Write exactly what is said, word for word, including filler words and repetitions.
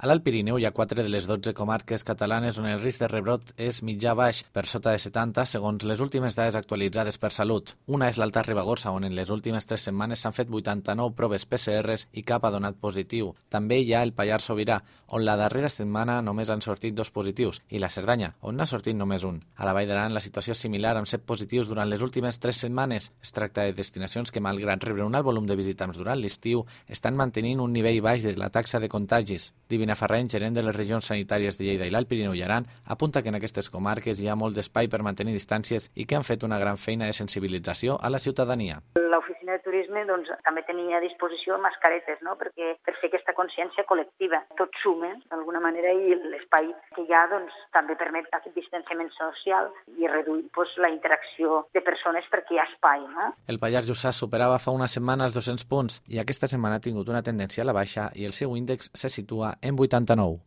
A l'Alt Pirineu hi ha quatre de les dotze comarques catalanes on el risc de rebrot és mitjà-baix, per sota de setanta, segons les últimes dades actualitzades per Salut. Una és l'Alta Ribagorça, on en les últimes tres setmanes s'han fet vuitanta-nou proves P C Rs i cap ha donat positiu. També hi ha el Pallars Sobirà, on la darrera setmana només han sortit dos positius, i la Cerdanya, on n'ha sortit només un. A la Vall d'Aran la situació és similar, amb set positius durant les últimes tres setmanes. Es tracta de destinacions que, malgrat rebre un alt volum de visitants durant l'estiu, estan mantenint un nivell baix de la taxa de contagis. Divina Ferreny, gerent de les regions sanitàries de Lleida i l'Alt Pirineu i Aran, apunta que en aquestes comarques hi ha molt d'espai per mantenir distàncies i que han fet una gran feina de sensibilització a la ciutadania. L'oficina de turisme doncs, també tenia a disposició mascaretes, no? Perquè per fer aquesta consciència col·lectiva. Tot suma, d'alguna manera, i l'espai que hi ha doncs, també permet aquest distanciament social i reduir doncs, la interacció de persones perquè hi ha espai. No? El Pallars Jussà superava fa una setmana els dos-cents punts i aquesta setmana ha tingut una tendència a la baixa i el seu índex se situa en vuitanta-nou.